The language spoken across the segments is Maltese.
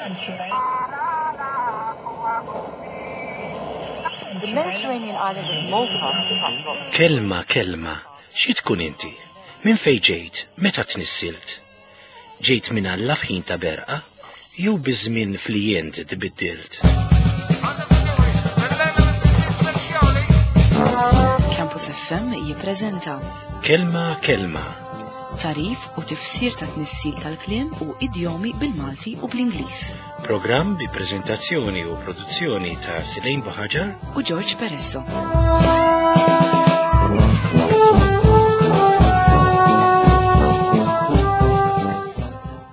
The Mediterranean island of Malta attracts lots of Kelma, kelma, xi tkun inti? Minn fejn ġejt? Meta tnissilt? Ġejt minn Alla f'ħin ta' berqa? Jew biż-żmien fli int tbiddilt? Campus FM jippreżenta Kelma, kelma, tarif u tifsir ta' tnissil tal-kliem u idjomi bil-Malti u bl-Ingliż. programm bi preżentazzjoni u produzzjoni ta' Silejn Buħaġar U George Peresso.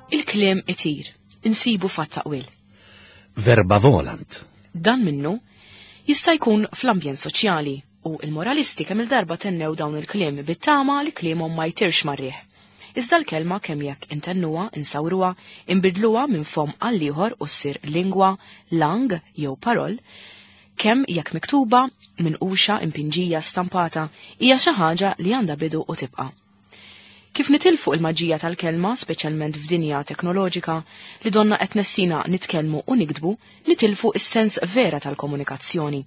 Il-kliem itir, insibu fat-taqwil. Verba volant. Dan minnu jista' jkun fl-ambjent soċjali u il-moralisti kemm il-darba tennew dawn il-kliem bit-tama li kliemhom ma jtirx marriħ. Iżda l-kelma kemm jekk intennuha, insawruha, inbidluha minn fom għal ieħor u ssir lingwa, lang jew parol, kemm jekk miktuba, minquxa, impinġija, stampata, hija xi ħaġa li għandha bidu u tibqa'. Kif nitilfu il-maġija tal-kelma, speċjalment f'dinja teknoloġika, li donna qed nessina nitkellmu u nikdbu, nitilfu is-sens vera tal-komunikazzjoni.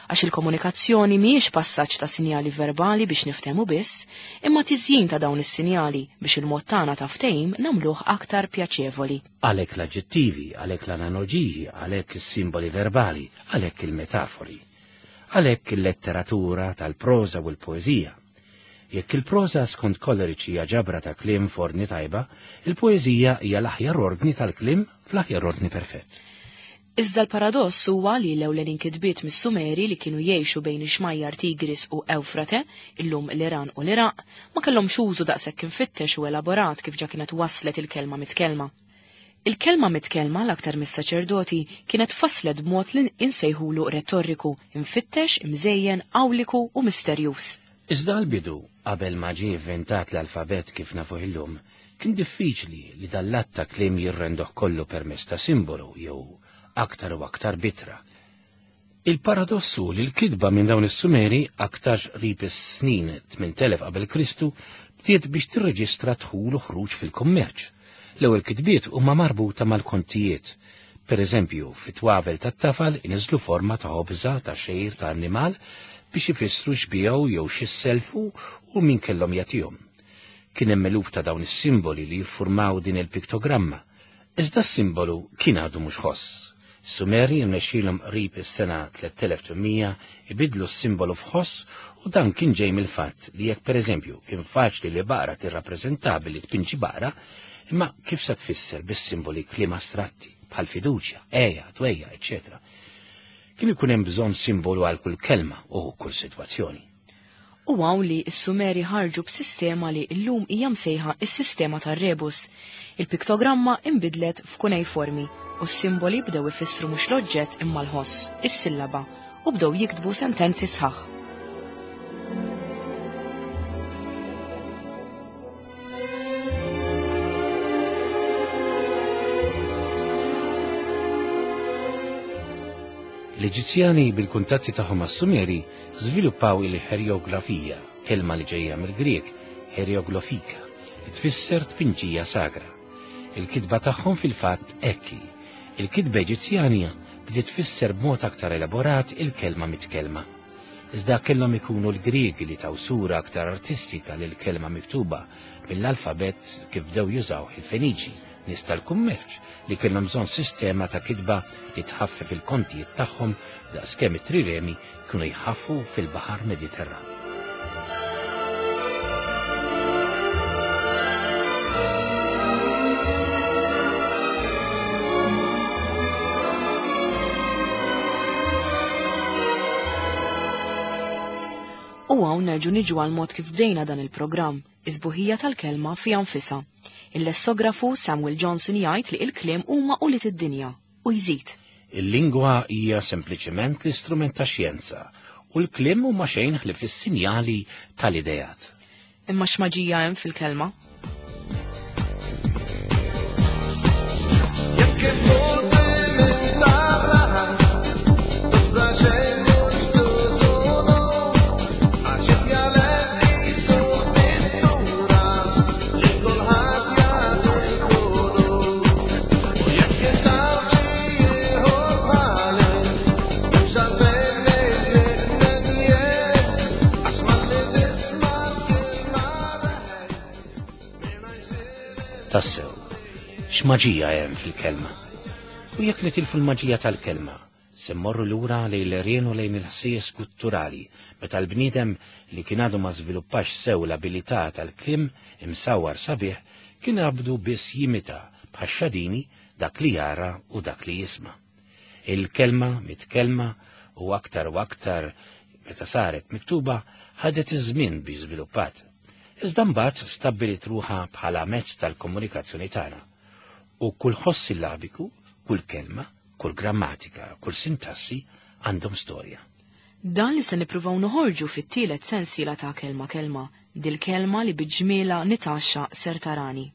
Għax il-komunikazzjoni mhijiex passaġġ ta' sinjali verbali biex niftehmu biss, imma tiżjin ta' dawn is-sinjali biex il-mod tagħna ta' ftehim nagħmluh aktar pjaċevoli. Għalhekk l-aġġettivi, għalhekk l-analoġiji, għalhekk is-simboli verbali, għalhekk il-metafori. Għalhekk il-letteratura tal-proża u l-poeżija. Jekk il-proża skont Coleridge hija ġabra ta' kliem f'ordni tajba, il-poeżija hija l-aħjar ordni tal-kliem fl-aħjar ordni perfett. Iżda l-paradoss huwa li l-ewlenin kitbiet mis-Sumeri li kienu jgħixu bejn ix-xmajjar Tigris u Ewfrate, illum l-Iran u l-Iraq, ma kellhomx użu daqshekk infittex u elaborat kif ġa kienet waslet il-kelma mitkellma. Il-kelma mitkellma l-aktar mis-saċerdoti kienet faslet b'mod li insejħulu retorriku, imfittex, imżejjen, awliku u misterjuż. Iżda l-bidu, qabel ma ġie inventat l-alfabet kif nafuh illum, kien diffiċli li dal-att ta' kliem jirrendoh kollu permezz ta' simbolu jew aktar u aktar bitra. Il-paradossu li l-kitba minn dawn is-Sumeri aktarx qrib is-snin 8000 qabel Kristu bdiet biex tirreġistra dħul u ħruġ fil-kummerċ. L-ewwel kitbiet huma marbuta mal-kontijiet. Per eżempju, fit-twavel tat-tafal iniżlu forma ta' ħobża ta' xejr ta' annimal biex ifissru x'biegħu jew x'isselfu u min kellhom jagħtihom. Kien hemm eluf ta' dawn is-simboli li jiffurmaw din il-piktogramma. Iżda s-simbolu kien għadu mhux ħoss. Sumeri rnexxielhom qrib is-sena 3800 ibidlu s-simbolu f'ħoss u dan kien ġej mill-fatt li jekk pereżempju kien faċli li baqra tirrappreżenta billi tpinġi baqra, imma kif se tfisser bis-simboli kliem astratti bħal fiduċja, għeja, dwejja, eċċetera. Kien ikun hemm bżonn simbolu għal kull kelma u kull sitwazzjoni. U hawn li s-Sumeri ħarġu b'sistema li llum hija msejħa s-sistema tar-rebus. Il-piktogramma inbidlet f'kunejformi u s-simboli bdew ifissru mhux l-oġġett imma l-ħoss, is-sillaba, u bdew jiktbu sentenzi sħaħ. L-Eġizzjani bil-kuntatti tagħhom mas-Sumeri żviluppaw il-ħerjografija, kelma li ġejja mill-Grieg, herioglofika, li tfisser tpinġija sagra. Il-kitba tagħhom fil-fatt hekk hi. Il-kitba Eġizzjanja bdiet tfisser b'mod aktar elaborat il-kelma mitkellma. Iżda kellhom ikunu l-Griegi li taw sura aktar artistika lil kelma miktuba mill-alfabet kif bdew jużawh il-Feniċi, nies tal-kummerċ li kellhom bżonn sistema ta' kitba li tħaffef il-kontijiet tagħhom daqskemm it-triremi kienu jħaffu fil-Baħar Mediterran. U hawn nerġu niġu għal mod kif bdejna dan il-programm, is-sbuħija tal-kelma fiha nfisha. Il-lessografu Samuel Johnson jgħid li il-kliem huma ulied id-dinja u jżid. Il-lingwa hija sempliċement l-istrument ta' xjenza u l-kliem huma xejn ħlief is-sinjali tal-ideat. Imma x'maġija hemm fil-kelma? Tassew, x'maġija hemm fil-kelma? U jekk nitilfu l-maġija tal-kelma, se mmorru lura lejn l-għerien u lejn il-ħsejjes gutturali, meta l-bniedem li kien għadu ma żviluppax sew l-abilità tal-kliem imsawwar sabiħ kien għabdu biss jimita bħax-xadini dak li jara u dak li jisma'. Il-kelma mitkellma u aktar u aktar meta saret miktuba ħadet iż-żmien biex żviluppat. Iżda mbagħad stabbiliet ruħha bħala mezz tal-komunikazzjoni tagħna. U kull ħoss sillabiku, kull kelma, kull grammatika, kull sintassi għandhom storja. Dan li se nippruvaw noħorġu fit-tielet sensiela ta' Kelma Kelma, dil-kelma li bi ġmielha nitgħaxxaq ser tarani.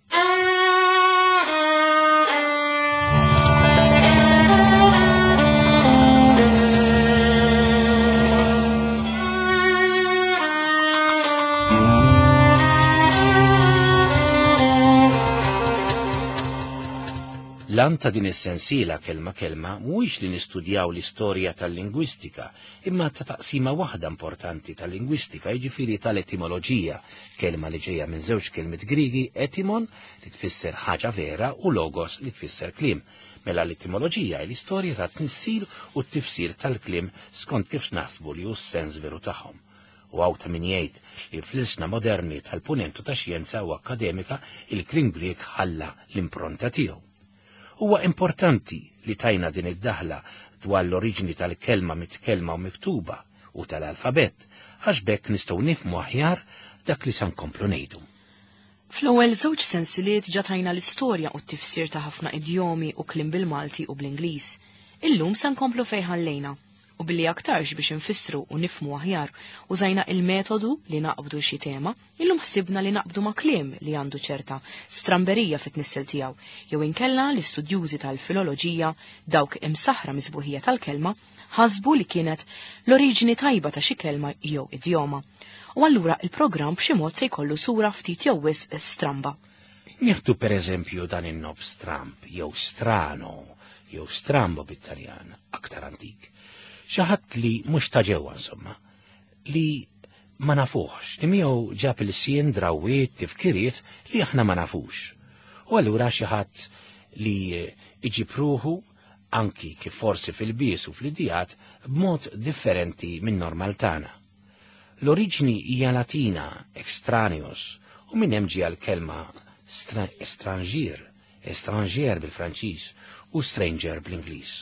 L-għan ta' din is-sensiela Kelma Kelma mhuwiex li nistudjaw l-istorja tal-lingwistika, imma ta' taqsima waħda importanti tal-lingwistika, jiġifieri tal-etimoloġija, kelma li ġejja minn żewġ kelmiet Griegi, etimon, li tfisser ħaġa vera, u logos, li tfisser kliem. Mela l-etimoloġija hi l-istorja tat-tnissil u t-tifsir tal-kliem skont kif naħsbu li hu s-sens veru tagħhom. U hawn ta' min jgħid li fl-ilsna moderni tal-Punent u tax-xjenza u akkademika il-kliem Grieg ħalla l-impronta tiegħu. Huwa importanti li tajna din id-daħla dwar l-oriġini tal-kelma mitkellma u miktuba u tal-alfabett għax b'hekk nistgħu nifhmu aħjar dak li sa nkomplu ngħidu. Fl-ewwel żewġ sensiliet ġa tajna l-istorja u t-tifsir ta' ħafna idjomi u kliem bil-Malti u bl-Ingliż. Illum se nkomplu fejn ħallejna. U billi aktarx biex infissru u nifhmu aħjar użajna il-metodu li naqbdu xi tema, illum ħsibna li naqbdu ma' kliem li għandu ċerta stramberija fit-tnissel tiegħu, jew inkella l-istudjużi tal-filoloġija, dawk imsaħħra mis-sbuħija tal-kelma, ħasbu li kienet l-oriġini tajba ta' xi kelma jew idjoma. U allura il-programm b'xi mod se jkollu sura ftit jew wisq stramba. Nieħdu per eżempju dan in-nob stramb jew strano jew strambo bit-Taljan, aktar antik. Xi ħadd li mhux ta' ġewwa insomma, li ma nafuhx, li miegħu ġab ilsien, drawwiet, tifkiriet li aħna ma nafux. U allura xi ħadd li iġib ruħu anki kif forsi fil-bies u fl-idijat b'mod differenti minn normal tagħna. L-oriġni hija Latina, extraneus, u minn hemm ġie l-kelma estranġier, étranger bil-Franċiż u stranger bl-Ingliż.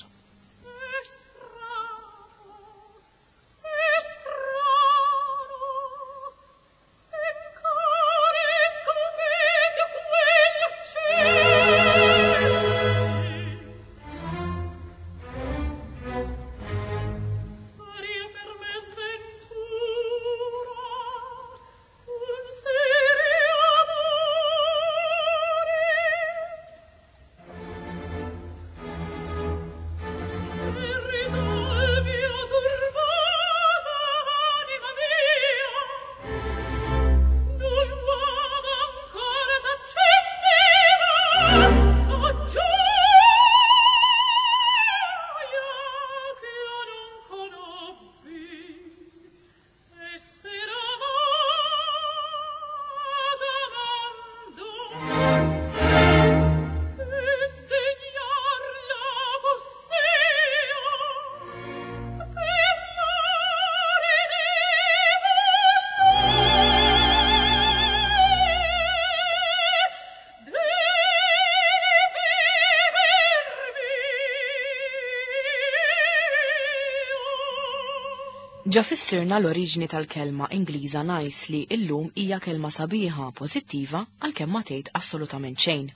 Ġa fissirna l-oriġni tal-kelma Ingliża nice li illum hija kelma sabiħa, pożittiva, għalkemm ma tgħid assolutament xejn.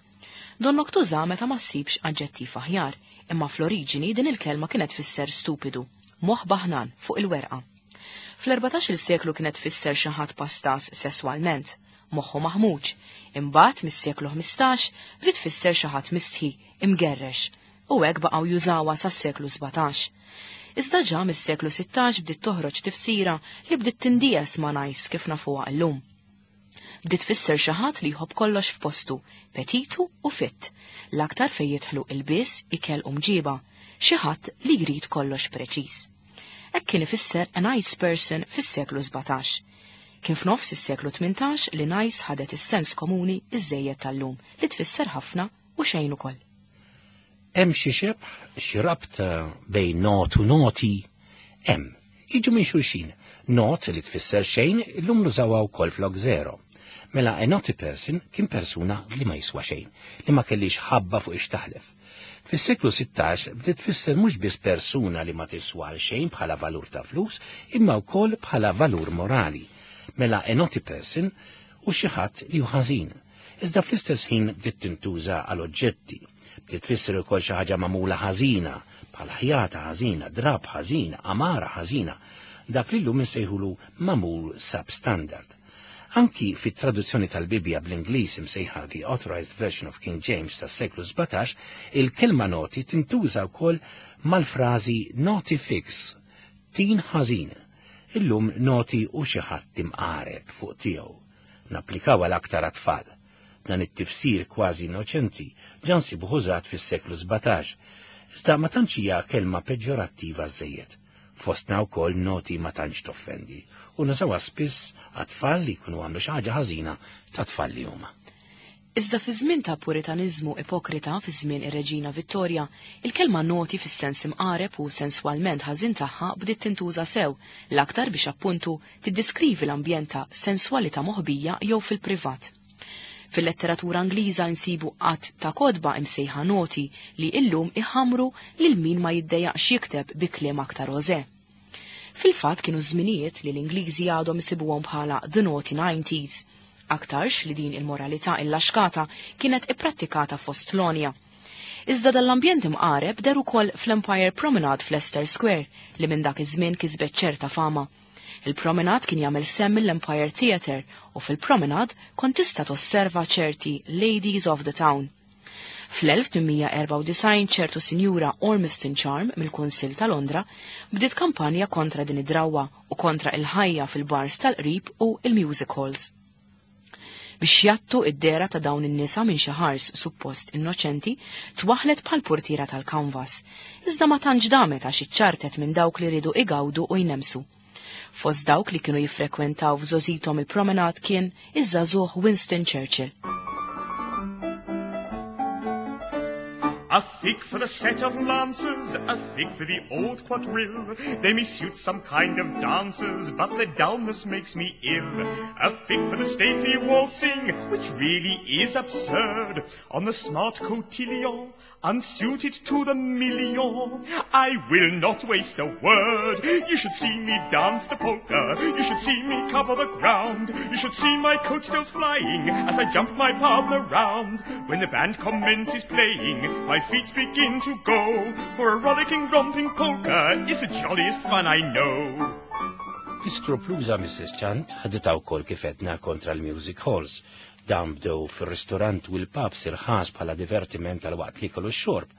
Donnok tuża meta ma ssibx aġġettiv aħjar, imma fl-oriġini din il-kelma kienet tfisser stupidu, moħħ baħnan fuq il-werqa. Fl-erbatax-il seklu kienet tfisser xi ħadd pastas sesswalment, moħħu maħmuġ, imbagħad mis-seklu 15 bdiet tfisser xi ħadd mistħi, imgerrex, u hekk baqgħu jużawha sas-seklu 17. Iżda ġa mis-seklu 16 bdiet toħroġ tifsira li bdiet tindies ma' nice kif nafuha illum. Bdiet tfisser xi ħadd li jħobb kollox f'postu, petitu u fit, l-aktar fejn jidħlu ilbies, ikel u mġiba, xi ħadd li jrid kollox preċiż. Hekk kien ifisser a nice person fis-seklu 17. Kien f'nofs is-seklu 18 li nice ħadet is-sens komuni iżżejjed tal-lum li tfisser ħafna u xejn ukoll. Hemm xi xebh, xi rabta bejn not u naughty? Hemm. Jiġu minn xulxin. Not li tfisser xejn illum nużawha wkoll flok zero. Mela a naughty person kien persuna li ma jiswa xejn, li ma kellix ħabba fuq ix taħlef. Fis-seklu 16 bdiet tfisser mhux biss persuna li ma tiswa għal xejn bħala valur ta' flus, imma wkoll bħala valur morali. Mela a naughty person hu xi ħadd li hu ħażin. Iżda fl-istess ħin bdiet tintuża għal oġġetti. Bdiet tfisser ukoll xi ħaġa magħmula ħażina, bħal ħjata ħażina, drapp ħażin, għamara ħażina, dak li llum insejħulu magħmul substandard. Anki fit-traduzzjoni tal-Bibbja bl-Ingliż imsejħa The Authorized Version of King James tas-seklu 17, il-kelma naughty tintuża wkoll mal-frażi naughty figs, tin ħażin. Illum naughty hu xi ħadd imqareb fuq tiegħu. Napplikawha l-aktar għat-tfal. Dan it-tifsir kważi innoċenti ġa nsibuh użat fis-seklu 17. Iżda ma tantx hija kelma peġġorattiva żżejjed. Fostna wkoll naughty ma tantx toffendi u nużawha spiss għat-tfal li jkunu għamlu xi ħaġa ħażina ta' tfal li huma. Iżda fi żmien ta' puritaniżmu ipokrita fi żmien ir-Reġina Vittoria, il-kelma naughty fis-sens imqareb u senswalment ħażin tagħha bdiet tintuża sew, l-aktar biex appuntu tiddiskrivi l-ambjent ta' senswalità moħbija jew fil-privat. Fil-letteratura Ingliża insibu għadd ta' kotba imsejħa naughty li illum iħamru lil min ma jiddejjaqx jikteb bi kliem aktar ożè. Fil-fatt kienu żminijiet li l-Ingliżi għadhom isibuhom bħala the naughty 90s. Aktarx li din il-moralità illaxkata kienet ipprattikata fost l-għonja. Iżda dal-ambjent imqareb deher ukoll fl-Empire Promenade f'Leicester Square li minn dak iż-żmien kisbet ċerta fama. Il-Promenade kien jagħmel sehem mill-Empire Theatre u fil-Promenade kont tista' tosserva ċerti Ladies of the Town. Fl-1894 ċertu Sinjura Ormiston Charm mill-Kunsill ta' Londra bdiet kampanja kontra din id-drawwa u kontra il-ħajja fil-bars tal-qrib u il-music halls. Biex jgħattu id-dehra ta' dawn in-nisa minn xi ħars suppost innoċenti, twaħlet bħal portiera tal-kanvas. Iżda ma tantx damet għax iċċartet minn dawk li riedu igawdu u jnemsu. Fost dawk li kienu jiffrekwentaw f'żgħożithom il-promenade kien iż-żagħżugħ Winston Churchill. A fig for the set of lancers, a fig for the old quadrille. They may suit some kind of dancers, but their dullness makes me ill. A fig for the stately waltzing, which really is absurd. On the smart cotillon, unsuited to the million. I will not waste a word. You should see me dance the polka. You should see me cover the ground. You should see my coat tails flying as I jump my partner round. When the band commences playing, my feet begin to go. For a rollicking, romping polka is the jolliest fun I know. L-iskrupluża Mrs. Chant ħaditha wkoll kif għedna kontra l-music halls. Dawn bdew fir-ristorant u l-pubs irħas bħala divertiment għal waqt l-ikel u x-xorb.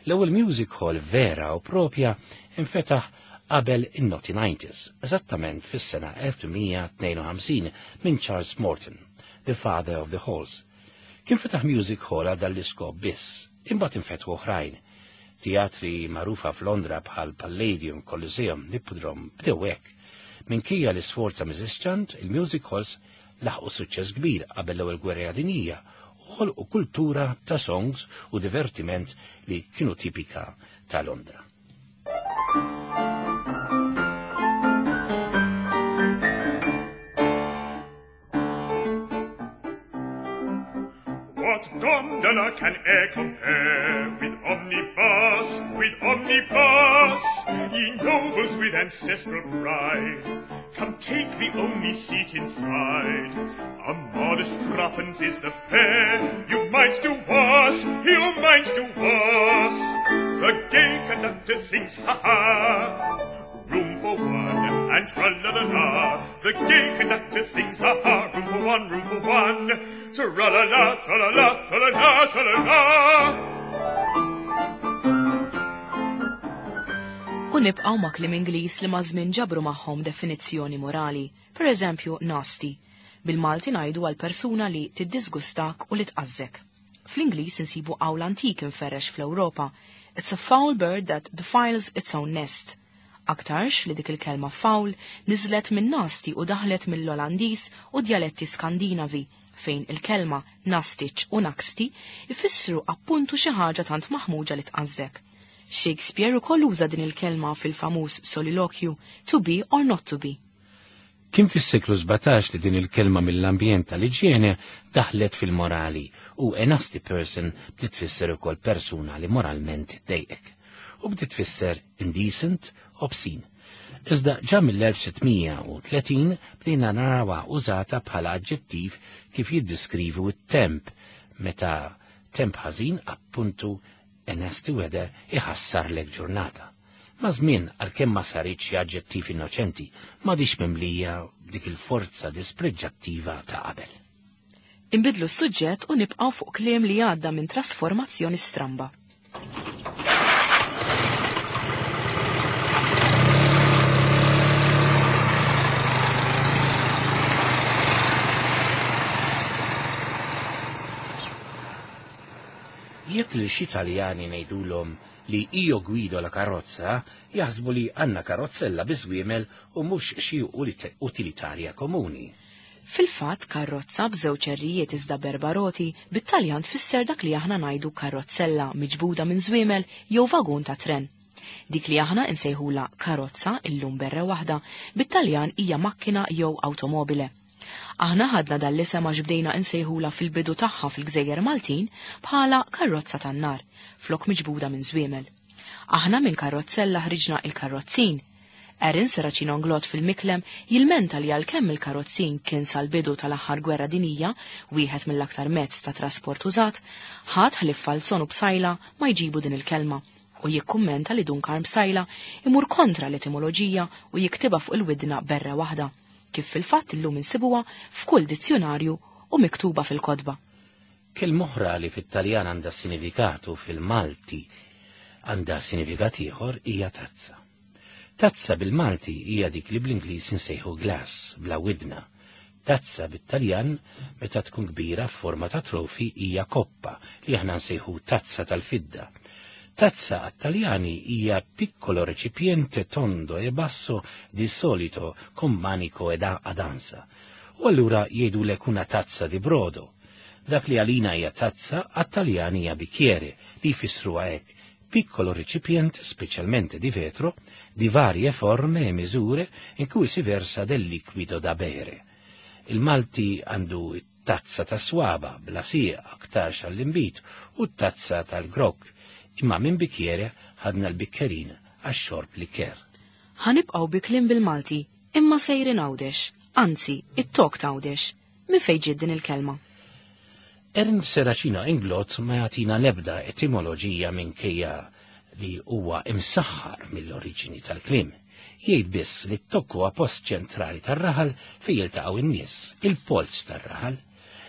L-ewwel music hall vera u propja infetaħ qabel in-Naughty 90s, eżattament fis-sena 1852 minn Charles Morton, the father of the halls. Kien fetaħ music hall għal dan l-iskop biss, imbagħad infetħu oħrajn. Teatri magħrufa f'Londra bħal Palladium, Coliseum, Hippodrome bdew hekk. Minkejja l-isforz ta' Mrs. Chant, il-music halls laħqu suċċess kbir qabel l-ewwel gwerra dinjija u ħolqu kultura ta' songs u divertiment li kienu tipika ta' Londra. What gondola can e'er compare with omnibus? Ye nobles with ancestral pride, come take the only seat inside. A modest threepence is the fare. You might do worse, you might do worse. The gay conductor sings ha ha. Room for one, and tra-la-la-la. The gay conductor sings ha ha. Room for one, room for one. Tra-la-la, tra-la-la, tra-la-la, tra-la-la. U nibqgħu ma' kliem Ingliż li maż-żmien ġabru magħhom definizzjoni morali, per eżempju nasty. Bil-Malti ngħidu għal persuna li tiddisgustak u li tqażżek. Fl-Ingliż insibu qawl antik inferrex fl-Ewropa. It's a foul bird that defiles its own nest. Aktarx li dik il-kelma foul niżlet minn nasty u daħlet mill-Olandiż u djaletti Skandinavi fejn il-kelma nastiċ u naksti ifissru appuntu xi ħaġa tant maħmuġa li tqażżek. Shakespeare ukoll uża din il-kelma fil-famuż solilokju to be or not to be. Kien fis-seklu 17 li din il-kelma mill-ambjent tal-iġjene daħlet fil-morali u a nasty person bdiet tfisser ukoll persuna li moralment iddejqek u bdiet tfisser indecent, obscene. Iżda ġa mill-1630 bdejna narawha użata bħala aġġettiv kif jiddiskrivu t-temp meta temp ħażin appuntu a nasty weather iħassarlek ġurnata. Maż-żmien, għalkemm ma saritx xi aġġettiv innoċenti, m'għadhiex mimlija b'dik il-forza dispreġġattiva ta' qabel. Inbiddlu s-suġġett u nibqgħu fuq kliem li għadda minn trasformazzjoni stramba. Jekk lil xi Taljani ngħidulhom li io guido la carrozza, jaħsbu li għandna karozzella bi żwiemel u mhux xi utilitarja komuni. Fil-fatt, karrozza b'żewġ errijiet iżda b'erba' roti, bit-Taljan tfisser dak li aħna ngħidu karrozzella miġbuda minn żwiemel jew vagun ta' tren. Dik li aħna insejħulha karozza illum b'erre waħda, bit-Taljan hija macchina jew automobile. Aħna ħadna dan l-isem għax bdejna insejħulha fil-bidu tagħha fil-Gżejjer Maltin bħala karrozza tan-nar, flok miġbuda minn żwiemel. Aħna minn karrozzella ħriġna il-karrozzin. Aaron Serracino Inglott fil-Miklem jilmenta li għalkemm il-karozzin kien sal-bidu tal-aħħar gwerra dinjija wieħed mill-aktar mezz ta' trasport użat, ħadd ħlief Falzon u Psaila ma jġibu din il-kelma u jikkummenta li Dun Karm Psaila imur kontra l-etimoloġija u jiktibha fuq il-widna berra waħda, kif fil-fatt illum insibuha f'kull dizzjunarju u miktuba fil-kotba. Kelma oħra li fit-Taljan għandha sinifikat u fil-Malti għandha sinifikat ieħor hija tazza. Tazza bil-Malti hija dik li bl-Ingliż insejħu glass, bla widna. Tazza bit-Taljan meta tkun kbira f'forma ta' trofi hija koppa li aħna nsejħu tazza tal-fidda. Tazza għat-Taljani hija piccolo recipiente tondo e basso di solito con manico ed ad ansa. U allura jgħidulek una tazza di brodo. Dak li għalina hija tazza, għat-Taljani hija bicchiere li jfissruha hekk, piccolo recipiente, specialmente di vetro, di varie forme e misure in cui si versa del liquido da bere. Il-Malti għandu tazza ta' swaba, bla sieq, aktarx għall-inbid, u t-tazza tal-grokk, imma minn bicchiere ħadna l-bikkerin għax-xorb liker. Ħanibqgħu bi kliem bil-Malti, imma sejrin Għawdex, anzi, it-tok t'Għawdex. Minn fejn ġiet din il-kelma? Ernst Serracino Inglott ma jagħtina l-ebda etimoloġija minkejja li huwa imsaħħar mill-oriġini tal-kliem. Jgħid biss li t-tokk huwa post ċentrali tar-raħal fejn jiltaqgħu n-nies, il-polz tar-raħal.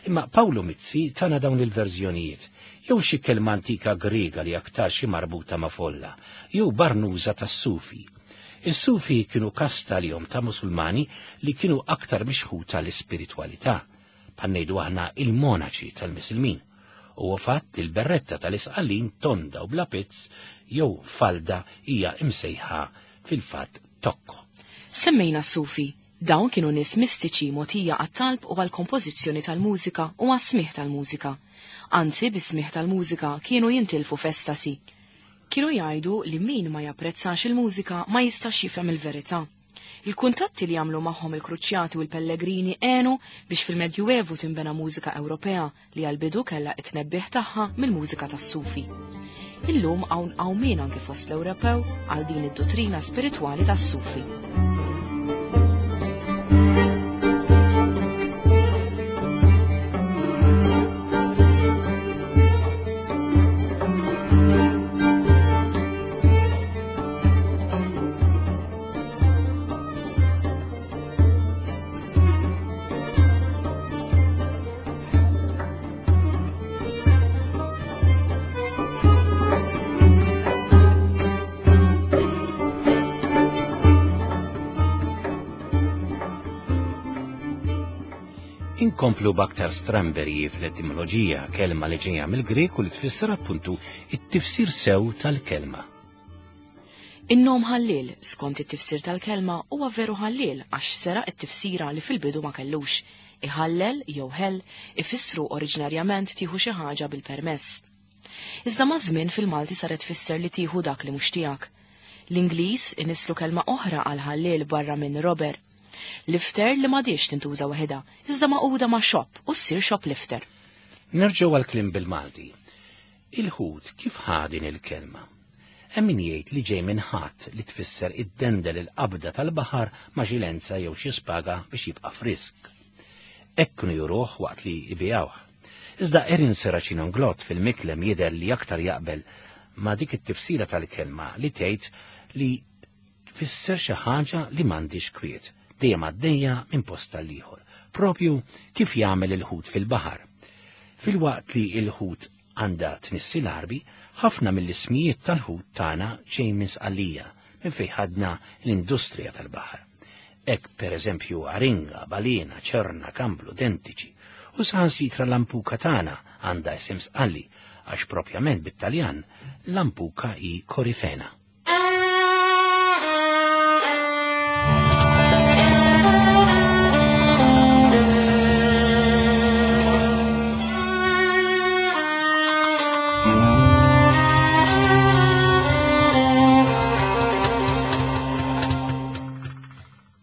Imma Pawlu Mizzi tana dawn il-verżjonijiet, jew xi kelma antika Griega li aktar xi marbuta ma' folla, jew barnuża tas-Sufi. Is-Sufi kienu kasta li ta' Musulmani li kienu aktar mixħuta l-ispiritwalità, bħal ngħidu aħna il-monaċi tal-Misilmin. U fatt il-berretta tal-Isqallin tonda u bla pizz jew falda hija imsejħa fil-fatt tokko. Semmejna s-Sufi. Dawn kienu nies mistiċi mogħtija għat-talb u għall-kompożizzjoni tal-mużika u għas-smigħ tal-mużika. Anzi, bis-smigħ tal-mużika kienu jintilfu f'estasi. Kienu jgħidu li min ma japprezzax il-mużika ma jistax jifhem il-verità. Il-kuntatti li għamlu magħhom il-Kruċjati u l-Pellegrini għenu biex fil-Medjuevu tinbena mużika Ewropea li għal-bidu kellha it-tnebbiħ tagħha mill-mużika tas-Sufi. Illum hawn qawmien anke fost l-Ewropew għal din id-dottrina spiritwali tas-Sufi. Inkomplu b'aktar stramberji fl-etimoloġija, kelma li ġejja mill-Grek u li tfisser appuntu it-tifsir sew tal-kelma. In-nom ħalliel, skont it-tifsir tal-kelma, huwa veru ħalliel għax seraq it-tifsira li fil-bidu ma kellux. Iħallel jew ħell ifissru oriġinarjament tieħu xi ħaġa bil-permess. Iżda maż-żmien fil-Malti saret tfisser li tieħu dak li mhux tiegħek. L-Ingliż inisslu kelma oħra għal ħalliel barra minn robber. Lifter li m'għadhiex tintuża waħedha, iżda magħquda ma' shop u ssir shoplifter. Nerġgħu għall-kliem bil-Malti. Il-ħut kif ħa din il-kelma? Hemm min jgħid li ġej minn ħatt li tfisser iddendel il-qabda tal-baħar ma' xi lenza jew xi spaga biex jibqa' frisk. Hekk kienu juruh waqt li jbigħuh. Iżda Erin Serracino Inglott fil-Miklem jidher li aktar jaqbel ma' dik it-tifsira tal-kelma li tgħid li tfisser xi ħaġa li m'għandhiex kwiet, dejjem għaddejja minn post għall-ieħor, propju kif jagħmel il-ħut fil-baħar. Filwaqt li l-ħut għandha tnissi l-Għarbi, ħafna mill-ismijiet tal-ħut tagħna ġej minn Sqallija, minn fejn ħadna l-industrija tal-baħar. Hekk per eżempju aringa, balena, ċerna, kamblu, dentiċi, u saħansitra lampuka tagħna għandha isem Sqalli għax propjament bit-Taljan lampuka hi korifena.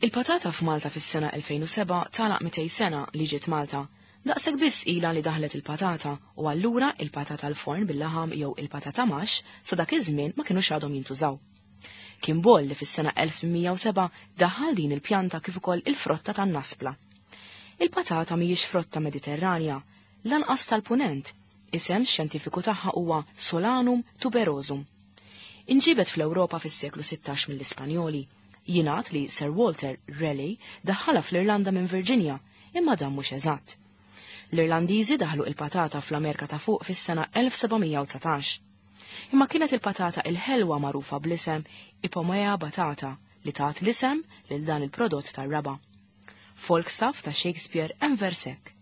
Il-patata f'Malta fis-sena 2007 tagħlaq 200 sena li ġiet Malta. Daqshekk biss ilha li daħlet il-patata u allura il-patata l-forn bil-laħam jew il-patata maxx sa dak iż-żmien ma kinux għadhom jintużaw. Kien Boll li fis-sena 1107 daħħal din il-pjanta kif ukoll il-frotta tan-naspla. Il-patata mhijiex frotta Mediterranja, lanqas tal-Punent. Isem xjentifiku tagħha huwa Solanum tuberosum. Inġiebet fl-Ewropa fis-seklu 16 mill-Ispanjoli. Jingħad li Sir Walter Raleigh daħħalha fl-Irlanda minn Virginia, imma dan mhux eżatt. L-Irlandiżi daħlu il-patata fl-Amerika ta' Fuq fis-sena 1719. Imma kienet il-patata il-ħelwa magħrufa bl-isem Ipomea batata li tat l-isem lil dan il-prodott tar-raba'. Falstaff ta' Shakespeare hemm vers hekk,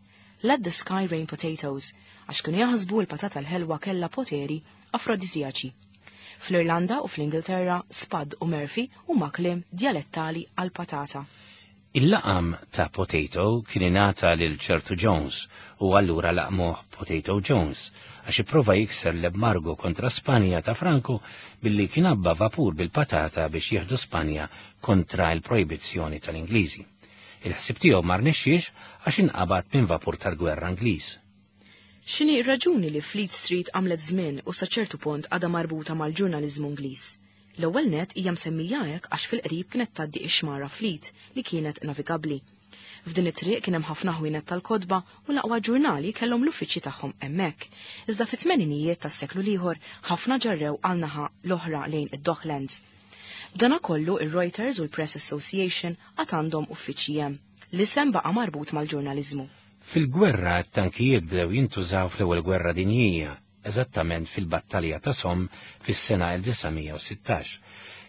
Let the sky rain potatoes, għax kienu jaħsbu l-patata l-ħelwa kellha poteri afrodisijaċi. Fl-Irlanda u fl-Ingilterra, spud u Murphy huma kliem djalettali għall-patata. Il-laqam ta' Potato kien ingħata lil ċertu Jones u allura laqmuh Potato Jones għax ipprova jikser l-embargo kontra Spanja ta' Franco billi kien għabba vapur bil-patata biex jieħdu Spanja kontra l-projbizzjoni tal-Ingliżi. Il-ħsieb tiegħu ma rnexxiex għax inqabad minn vapur tal-gwerra Ingliż. X'inhi r-raġuni li Fleet Street għamlet żmien u sa ċertu punt għadha marbuta mal-ġurnaliżmu Ingliż? L-ewwel nett hija msemmija hekk għax fil-qrib kienet tgħaddi x-xmara Fleet li kienet navigabbli. F'din it-triq kien hemm ħafna ħwienet tal-kotba u l-aqwa ġurnali kellhom l-uffiċċji tagħhom hemmhekk. Iżda fit-tmeninijiet tas-seklu l-ieħor ħafna ġarrew għal naħa l-oħra lejn id-Docklands. B'danakollu ir-Reuters u l-Press Association għad għandhom uffiċċji hemm. L-isem baqa' marbut mal-ġurnaliżmu. Fil-gwerra t-tankijiet bdew jintużaw fl-Ewwel Gwerra Dinjija, eżattament fil-Battalja ta' Somme fis-sena 1916.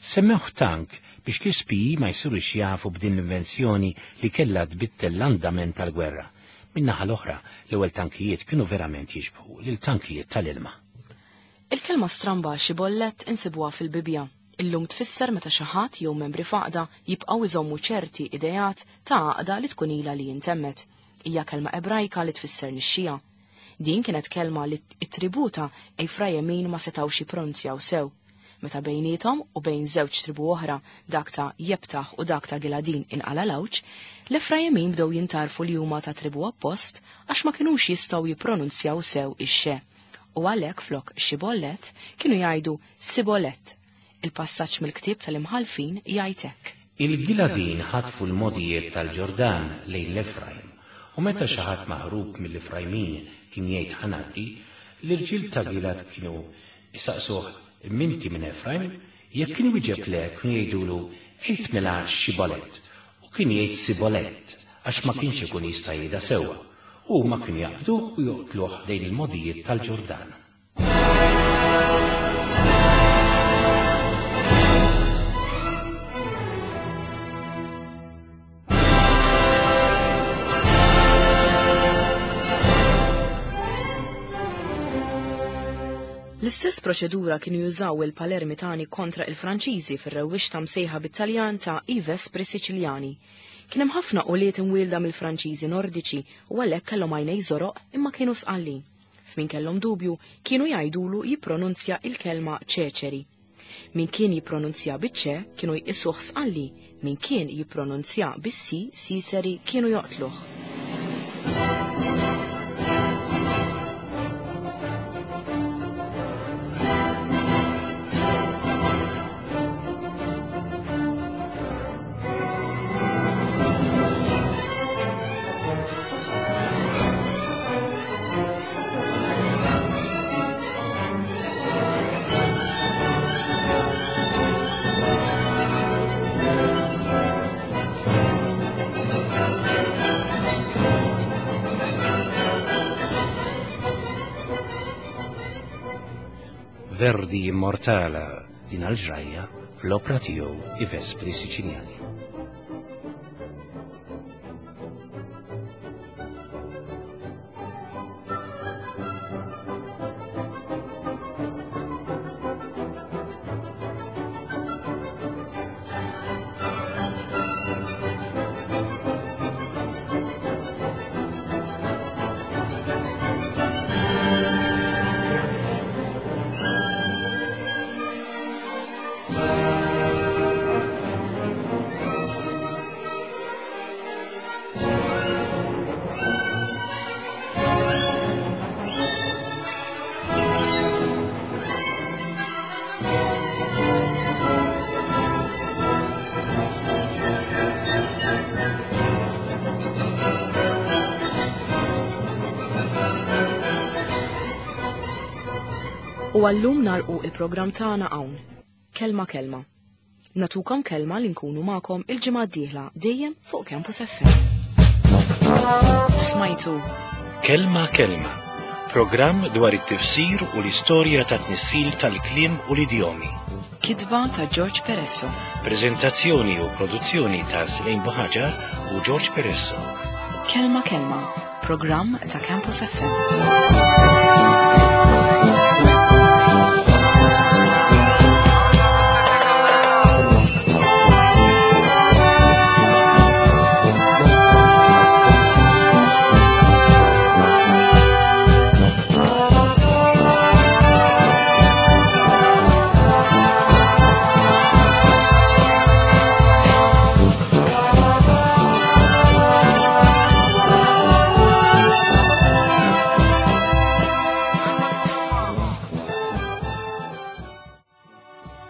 Semmewh tank biex l-ispiji ma jsirux jafu b'din l-invenzjoni li kellha tbiddel l-andament tal-gwerra. Min-naħa l-oħra, l-ewwel tankijiet kienu verament jixbħu lil tankijiet tal-ilma. Il-kelma stramba xibollet insibuha fil-Bibbja. Illum tfisser meta xi ħadd jew membri f'għaqda jibqgħu jżommu ċerti ideat ta' għaqda li tkun ilha li intemmet. Hija kelma Ebrajka li tfisser nixxija. Din kienet kelma li t-tribù ta' Efrajemin ma setgħux jippronunzjaw sew. Meta bejniethom u bejn żewġ tribù oħra, dak ta' Jeptaħ u dak ta' Giladin inqala' l-għawġ, l-Efrajemin bdew jintgħarfu li huma ta' tribù oppost għax ma kinux jistgħu jippronunzjaw sew ix-xe. U għalhekk flok Xiboleth kienu jgħidu Siboleth. Il-passaġġ mill-ktieb tal-Imħallfin jgħid hekk. Il-Giladin ħatfu l-mogħdijiet tal-Ġordan lejn l-Efrajm, u meta xi ħadd maħrub mill-Efrajmin kien jgħid ħa ngħaddi, l-irġiel ta' Gilad kienu jsaqsuh, M'inti minn Efrajm? Jekk kien iwieġeb le, kienu jgħidulu, Għid mela Xibolet. U kien jgħid Sibolet, għax ma kienx ikun jista' jgħidha sewwa. U huma kienu jaqbduh u joqtluh ħdejn il-mogħdijiet tal-Ġordan. L-istess L-istess proċedura kienu jużaw il-Palermitani kontra il-Franċiżi fir-rewwixta msejħa bit-Taljan ta' I Vespri Siċiljani. Kien hemm ħafna ulied imwielda mill-Franċiżi Nordiċi u għalhekk kellhom għajnej żoroq imma kienu sqallin. F'min kellhom dubju kienu jgħidulu jippronunzja il-kelma ċeċeri. Min kien jippronunzja biċ-ċe kienu jqisuh sqalli, min kien jippronunzja bis-si, siseri, kienu joqtluh. Verdi immortala din għal-ġrajja fl-opra tiegħu I Vespri Siċiljani. U għallum narqu il-programm tagħna hawn. Kelma kelma. Natukom kelma li nkunu magħkom il-ġimgħa d-dieħla dejjem fuq Campus FM. Smajtu. Kelma kelma. Programm dwar it-tifsir u l-istorja ta' tnissil tal-kliem u l-idjomi. Kitba ta' George Peresso. Prezentazzjoni u produzzjoni ta' Slejn Buħaġar u George Peresso. Kelma kelma. Programm ta' Campus FM.